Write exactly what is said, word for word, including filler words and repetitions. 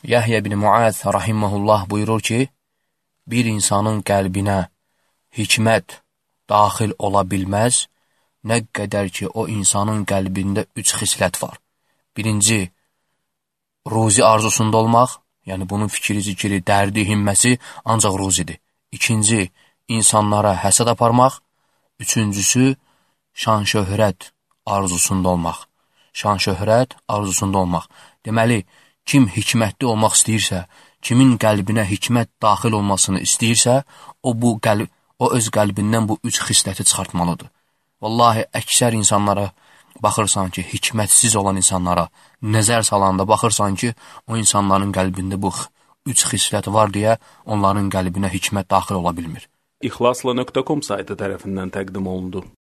Yahya ibn Muaz rahimehullah buyurur ki, bir insanın qəlbinə hikmət daxil ola bilməz, nə qədər ki, o insanın qəlbində üç xislət var. Birinci, ruzi arzusunda olmaq, yəni bunun fikri, zikri, dərdi, himməsi ancaq ruzidir. İkinci, insanlara həsəd aparmaq. Üçüncüsü, şan-şöhrət arzusunda olmaq. Şan-şöhrət arzusunda olmaq. Deməli, kim hikmətli olmaq istəyirsə, kimin qəlbinə hikmət daxil olmasını istəyirsə, o, bu qəlb, o öz qəlbindən bu üç xisləti çıxartmalıdır. Vallahi, əksər insanlara baxırsan ki, hikmətsiz olan insanlara nəzər salanda baxırsan ki, o insanların qəlbində bu üç xislət var deyə onların qəlbinə hikmət daxil ola bilmir. İxlasla nöqtə com saytı tərəfindən təqdim olundu.